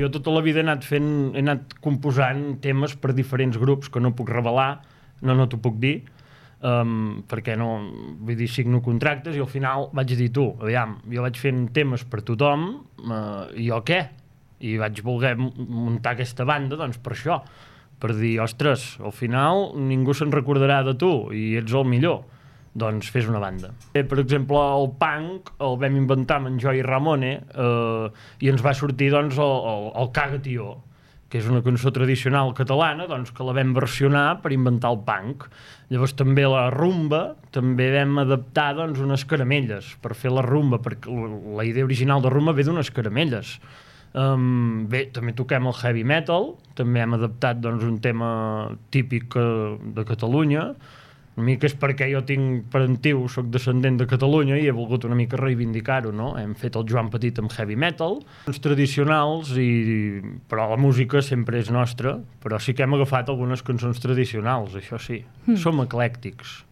Jo tota la vida he anat composant temes per diferents grups que no puc revelar, no t'ho puc dir, perquè no, vull dir, signo contractes i al final vaig dir tu, aviam, jo vaig fent temes per tothom, i jo què? I vaig voler muntar aquesta banda, doncs per això, per dir, ostres, al final ningú se'n recordarà de tu i ets el millor, doncs fes una banda. Per exemple, el punk el vam inventar amb en Joey Ramone i ens va sortir doncs el Caga Tió, que és una cançó tradicional catalana doncs, que la vam versionar per inventar el punk. Llavors també la rumba, també vam adaptar doncs, unes caramelles per fer la rumba, perquè la idea original de rumba ve d'unes caramelles. Bé, també toquem el heavy metal, també hem adaptat doncs, un tema típic de Catalunya. Una mica és perquè jo tinc parentiu, soc descendent de Catalunya i he volgut una mica reivindicar-ho, no? Hem fet el Joan Petit amb heavy metal, uns tradicionals, però la música sempre és nostra, però sí que hem agafat algunes cançons tradicionals, això sí. Som eclèctics.